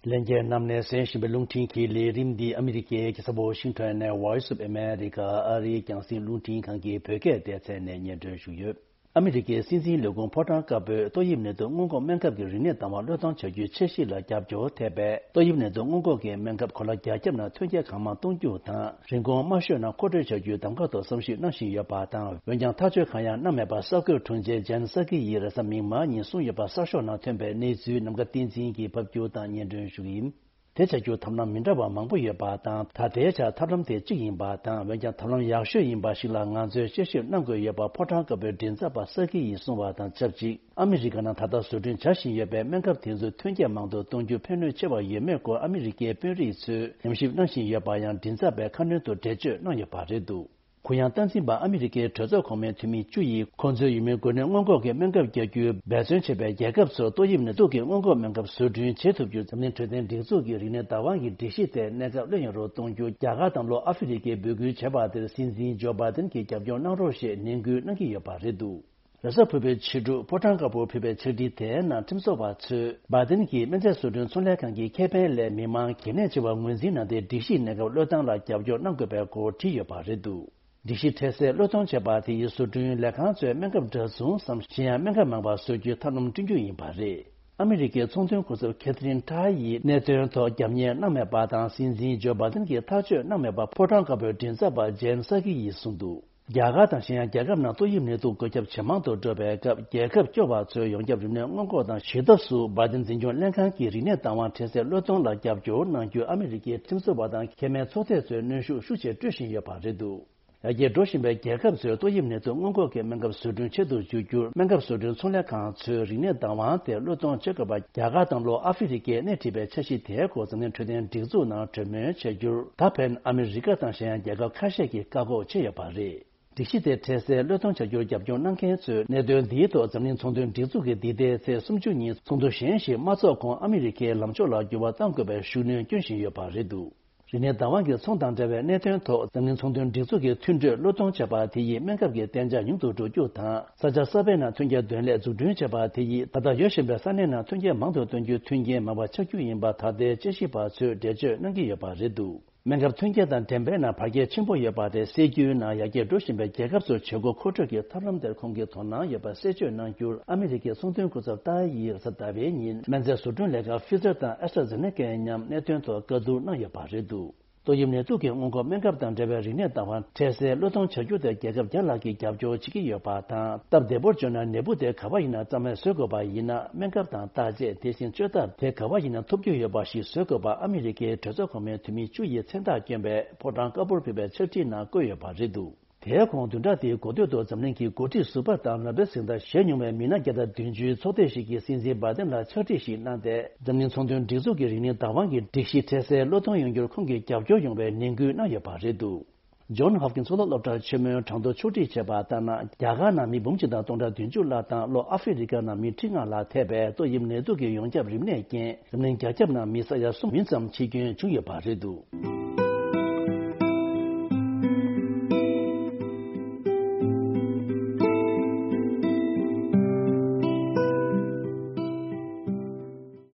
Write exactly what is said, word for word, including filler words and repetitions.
ལྷན་རྒྱས་རྣམས་ནས་གསན་བཞིན་པའི་རླུང་འཕྲིན་གྱི་ལས་རིམ་འདི་ཨ་མི་རི་ཀའི་རྒྱལ་ས་ཝ་ཤིང་ཊོན་ནས་Voice of America ཨ་རིའི་རྒྱང་སྲིང་རླུང་འཕྲིན་ཁང་གི་བོད་སྐད་སྡེ་ཚན་ནས་སྙན་སྒྲོན་ཞུས་ཡོད། ཨ་མི་རི་ཀའི་སྲིད་འཛིན་ལས་ཁུངས་ཕོ་བྲང་དཀར་པོས་ཏོག་དབྱིབས་ནད་དུག་སྔོན་འགོག་སྨན་ཁབ་ཀྱི་རིམས་ནད་བདག་དབང་གློད་གཏོང་བྱ་རྒྱུའི་འཆར་གཞི་ལ་རྒྱབ་སྐྱོར་ཐེབས་པས། ཏོག་དབྱིབས་ནད་དུག་སྔོན་འགོག་གི་སྨན་ཁབ་གོ་ལ་རྒྱ་ཁྱབ་ནང་ཐོན་སྐྱེད་གང་མང་གཏོང་རྒྱུ་དང་། རིན་གོང་དམའ་ཤོས་ནང་མཁོ་སྤྲོད་བྱ་རྒྱུའི་གདམ་ག་ཐོག་བསམ་ཞིབ་གནང་བཞིན་ཡོད་པ་དང་། འོན་ཀྱང་ཐག་གཅོད་གང་ཡང་གནང་མེད་པ་གསར་འགོད་དྲུང་ཆེ་ཇན་སཱ་ཀི་ཡིས་རེས་གཟའ་མིག་དམར་ཉིན་གསུངས་ཡོད་པ་གསར་ཤོག་ནང་ཐོན་པའི་གནས་ཚུལ་ནམ་མཁའ་བསྟན་འཛིན་གྱིས་ཕབ་སྒྱུར་དང་སྙན་སྒྲོན་ཞུ་གི་ཡིན། དེ་བྱ་རྒྱུར་ཐབས་ལམ་མི་འདྲ་བ་མང་པོ་ཡོད་པ་དང་། ད་ལྟའི་ཆར་ཐབས་ལམ་དེ་གཅིག་ཡིན་པ་དང་། འོན་ཀྱང་ཐབས་ལམ་ཡག་ཤོས་ཡིན་པ་ཞིག་ལ་ང་ཚོས་དཔྱད་ཞིབ་གནང་དགོས་ཡོད་པ་ཕོ་བྲང་དཀར་པོའི་མགྲིན་ཚབ་པ་སཱ་ཀི་ཡིས་གསུངས་པ་དང་ཆབས་ཅིག་ཨ་མི་རི་ཀ་ནང་ད་ལྟ་བཟོ་སྐྲུན་བྱ་བཞིན་ཡོད་པའི་སྨན་ཁབ་དེ་ཚོའི་ཐོན་སྐྱེད་མང་དུ་གཏོང་རྒྱུ་ཕན་ནུས་ཆེ་བ་ཡོད་མེད་སྐོར་ཨ་མི་རི་ཀའི་དཔོན་རིགས་ཚོས་ཉམས་ཞིབ་གནང་བཞིན་ཡོད་པ་ཡང་མགྲིན་ཚབ་པས་ཁ་སྣོན་དུ་འགྲེལ་བརྗོད་གནང་ཡོད་པ་རེད་འདུག་གུ་ཡངས་སྟངས་འཛིན་པ་ཨ་མི་རི་ཀའི་གྲོས་ཚོགས་གོང་མའི་འཐུས་མི་བཅུ་ཡིས་ཁོང་ཚོའི་ཡུལ་མིའི་འགོས་ནད་སྔོན་འགོག་གི་སྨན་ཁབ་རྒྱག་རྒྱུའི་འབད་བརྩོན་བྱེད་པའི་རྒྱལ་ཁབ་ཚོར་ཏོག་དབྱིབས་ནད་དུག་གི་སྔོན་འགོག་སྨན་ཁབ་བཟོ་སྐྲུན་བྱེད་ཐུབ་རྒྱུར་འཛམ་གླིང་འཕྲོད་བསྟེན་སྒྲིག་འཛུགས་ཀྱི་རིམས་ནད་བདག་དབང་གི་སྒྲིག་གཞི་དེ་གནས་སྐབས་ལོན་ཡོང་རོགས་གཏོང་རྒྱུ་རྒྱ་གར་དང་ལྷོ་ཨ་ཧྥེ་རི་ཀས་འབོད་སྐུལ་བྱས་པ་དེར་སྲིད་འཛིན་ཇོ་བྷའི་ཏིན་གྱིས་རྒྱབ་སྐྱོར་གནང་རོགས་ཞེས་ནན་སྐུལ་གནང་གི་ཡོད་པ་རེད་འདུག་རེས་གཟའ་ཕུར་བུའི་ཕྱི་དྲོ་ཕོ་བྲང་དཀར་པོར་ཕུལ་བའི་ཕྱག་བྲིས་དེའི་ནང་ཁྲིམས་བཟོ་བ་ཚོས་བྷའི་ཏིན་གྱིས་སྨན་རྫས་བཟོ་སྐྲུན་ཚོང་ལས་ཁང་གི་ཁེ་ཕན་ལས་མི་མང་གལ་གནད་ཆེ་བར་ངོས་འཛིན་གནང་སྟེ། སྒྲིག་གཞིས་གནས་སྐབས་བློས་བཏང་ལ་རྒྱབ་སྐྱོར་གནང་དགོས་པའི་སྐོར་བྲིས་ཡོད་པ་རེད་འདུག་སྒྲིག་གཞི་འཕྲལ་སེལ་གློད་གཏོང་བྱས་པ་དེ་ཡིས་བཟོ་སྐྲུན་ལས་ཁང་ཚོས་སྨན་ཁབ་འདྲ་མཚུངས་སམ། གཞན་ཡང་སྨན་ཁབ་མང་བ་བཟོ་རྒྱུའི་ཐབས་ལམ་བསྐྲུན་རྒྱུ་ཡིན་པ་རེད། ཨ་མི་རི་ཀའི་ཚོང་དོན་སྐུ་ཚབ་ཁེ་ཐི་རིན་ཊའི་ཡིས་གནད་དོན་ཐོག་རྒྱབ་གཉེར་གནང་མེད་པ་དང་། སྲིད་འཛིན་ཇོ་བྷའི་ཏིན་གྱིས་ཐག་གཅོད་གནང་མེད་པ་ཕོ་བྲང་དཀར་པོའི་མགྲིན་ཚབ་པ་ཇན་སཱ་ཀི་ཡིས་གསུངས་འདུག་རྒྱ་གར་དང་གཞན་ཡང་རྒྱལ་ཁབ་ནང་ཏོག་དབྱིབས་ནད་དུག་འགོས་ཁྱབ་ཇེ་མང་དུ་འགྲོ་བའི་སྐབས། རྒྱལ་ཁབ་སྐྱོ་བ་ཚོའི་ཡོངས་ཁྱབ་རིམས་ནད་སྔོན་འགོག་དང་ཞི་ཐབས་སུ་བྷའི་ཏིན་འཛིན་སྐྱོང་ལྷན་ཁང་གིས་རིམས་ནད་བདག་དབང་འཕྲལ་སེལ་གློད་གཏོང་ལ་རྒྱབ་སྐྱོར་གནང་རྒྱུར་ཨ་མི་རི་ཀའི་ཁྲིམས་བཟོ་བ་དང་ཁེ་ཕན་ཚོགས་སྡེ་ཚོས་གནོན་ཤུགས་ཤུགས་ཆེ་སྤྲོད་བཞིན་ཡོད་པ་རེད་འདུག་ཡར་རྒྱས་འགྲོ་བཞིན་པའི་རྒྱལ་ཁབ་ཚོས་ཏོག་དབྱིབས་ནད་དུག་སྔོན་འགོག་གི་སྨན་ཁབ་བཟོ་སྐྲུན་ཆེད་དུ་བསྒྱུར་རྒྱུར། སྨན་ཁབ་བཟོ་སྐྲུན་ཚོང་ལས་ཁང་ཚོས་རིམས་ནད་བདག་དབང་དེ་གློད་གཏོང་བྱེད་དགོས་པ། རྒྱ་གར་དང་ལྷོ་ཨ་ཧྥེ་རི་ཀས་སྣེ་ཁྲིད་པའི་འཆར་གཞི་དེའི་སྐོར་འཛམ་གླིང་འཕྲོད་བསྟེན་སྒྲིག་འཛུགས་ནང་གྲོས་མོལ་བྱ་རྒྱུར། ད་ཕན་ཨ་མི་རི་ཀ་དང་གཞན་ཡང་རྒྱལ་ཁབ་ཁ་ཤས་ཀྱིས་བཀག་འགོག་བྱས་ཡོད་པ་རེད། སྒྲིག་གཞི་དེ་འཕྲལ་སེལ་གློད་གཏོང་བྱ་རྒྱུར་རྒྱབ་སྐྱོར་གནང་མཁན་ཚོས། གནད་དོན་འདིའི་ཐོག་འཛམ་གླིང་ཚོང་དོན་སྒྲིག་འཛུགས་ཀྱིས་འདི་ཟླའི་ཚེས་སུམ་ཅུ་ཉིན་ཚོགས་འདུ་གཞན་ཞིག་མ་འཚོགས་གོང་ཨ་མི་རི་ཀའི་ལངས་ཕྱོགས་ལ་འགྱུར་བ་གཏང་དགོས་པའི་ཤུགས་སྣོན་སྐྱོན་བཞིན་ཡོད་པ་རེད་འདུག་རིམས་ནད་བདག་དབང་གི་ཚོང་དང་འབྲེལ་བའི་གནད་དོན་ཐོག་འཛམ་གླིང་ཚོང་དོན་སྒྲིག་འཛུགས་ཀྱི་མཐུན་གྲོས་གློད་གཏོང་བྱས་པ་དེ་ཡིས་སྨན་ཁབ་ཀྱི་གཏན་འཇགས་ཉུང་དུ་འགྲོ་རྒྱུ་དང་། ས་ཆ་གསར་པའི་ནང་ཐོན་སྐྱེད་འདོན་ལས་འཛུགས་སྐྲུན་བྱས་པ་དེ་ཡིས་ད་ལྟ་ཡོད་བཞིན་པའི་ས་གནས་ནང་ཐོན་སྐྱེད་མང་དུ་གཏོང་རྒྱུའི་མཐུན་རྐྱེན་མང་བ་ཆགས་རྒྱུ་ཡིན་པ་ད་ལྟའི་དཔྱད་ཞིབ་པ་ཚོས་འགྲེལ་བརྗོད་གནང་གི་ཡོད་པ་རེད་འདུག་སྨན་ཁབ་ཐོན་སྐྱེད་དང་འགྲན་པའི་ནང་བར་ཁྱད་ཆེན་པོ་ཡོད་པ་དེ་སེལ་རྒྱུའི་ནང་ཡར་རྒྱས་འགྲོ་བཞིན་པའི་རྒྱལ་ཁབ་ཚོར་བྱེད་སྒོ་མཁོ་སྤྲོད་ཀྱི་ཐབས་ལམ་དེར་ཁོང་གིས་དོ་སྣང་ཡོད་པ་གསལ་བརྗོད་གནང་རྒྱུར། ཨ་མི་རི་ཀའི་ཚོང་དོན་སྐུ་ཚབ་ཏཱ་ཡིས་རེས་གཟའ་ཟླ་བའི་ཉིན་སྨན་རྫས་བཟོ་སྐྲུན་ལས་ཁང་ཕི་ཛར་དང་ཨེ་སི་ཊ་ཛེ་ནེ་ཀའི་མཉམ་གནད་དོན་ཐོག་བཀའ་བསྡུར་གནང་ཡོད་པ་རེད་འདུག་ཏོག་དབྱིབས་ནད་དུག་གི་སྔོན་འགོག་སྨན་ཁབ་དང་འབྲེལ་བའི་རིམས་ནད་བདག་དབང་འཕྲལ་སེལ་གློད་གཏོང་བྱ་རྒྱུ་དེ་རྒྱལ་ཁབ་བརྒྱ་ལྷག་གིས་རྒྱབ་སྐྱོར་བྱེད་ཀྱི་ཡོད་པ་དང་། སྟབས་བདེ་པོར་བརྗོད་ན། ནད་འབུ་དེ་ག་བ་ཡིན་ན་རྩ་མེད་བཟོ་དགོས་པ་ཡིན་ན། སྨན་ཁབ་དང་བརྟག་དཔྱད། དེ་བཞིན་བཅོས་ཐབས་དེ་ག་བ་ཡིན་ན་ཐོབ་རྒྱུ་ཡོད་པ་ཞིག་བཟོ་དགོས་པ་ཨ་མི་རི་ཀའི་གྲོས་ཚོགས་གོང་མའི་འཐུས་མི་བཅུ་ཡིས་མཚན་རྟགས་བསྐྱོན་པའི་ཕོ་བྲང་དཀར་པོར་ཕུལ་བའི་ཕྱག་བྲིས་ནང་བཀོད་ཡོད་པ་རེད་འདུག་དེའི་གོང་བདུན་ཕྲག་འདིའི་འགོ་སྟོད་དུ་འཛམ་གླིང་གི་འགོ་ཁྲིད་ཟུར་པ་དང་ནོ་བེལ་གཟེངས་རྟགས་བཞེས་མྱོང་བའི་མི་སྣ་བརྒྱ་དང་བདུན་ཅུའི་ཚོགས་སྡེ་ཞིག་གིས་སྲིད་འཛིན་བྷའི་ཏིན་ལ་ཕྱག་བྲིས་ཤིག་གནང་སྟེ། འཛམ་གླིང་ཚོང་དོན་སྒྲིག་འཛུགས་ཀྱི་རིམས་ནད་བདག་དབང་གི་སྒྲིག་གཞི་འཕྲལ་སེལ་གློད་གཏོང་ཡོང་རྒྱུར་ཁོང་གིས་རྒྱབ་སྐྱོར་ཡོང་བའི་ནན་སྐུལ་གནང་ཡོད་པ་རེད་འདུག་ཇོན་ཧོབ་ཀིན་སི་གཙུག་ལག་སློབ་གྲྭ་ཆེན་མོའི་གྲངས་ཐོ་ཕྱོགས་སྒྲིག་བྱས་པ་ལྟར་ན། རྒྱ་གར་ནང་མི་འབུམ་གཅིག་དང་སྟོང་ཕྲག་བདུན་ཅུ་ལྷག་དང་། ལྷོ་ཨ་ཧྥེ་རི་ཀ་ནང་མི་ཁྲི་ལྔ་ལྷག་ཐེ་བའི་ཏོག་དབྱིབས་ནད་དུག་གི་ཡོངས་ཁྱབ་རིམས་ནད་རྐྱེན། འཛམ་གླིང་རྒྱ་ཁྱབ་ནང་མི་ས་ཡ་གསུམ་མིན་ཙམ་འཆི་སྐྱོན་བྱུང་ཡོད་པ་རེད་འདུག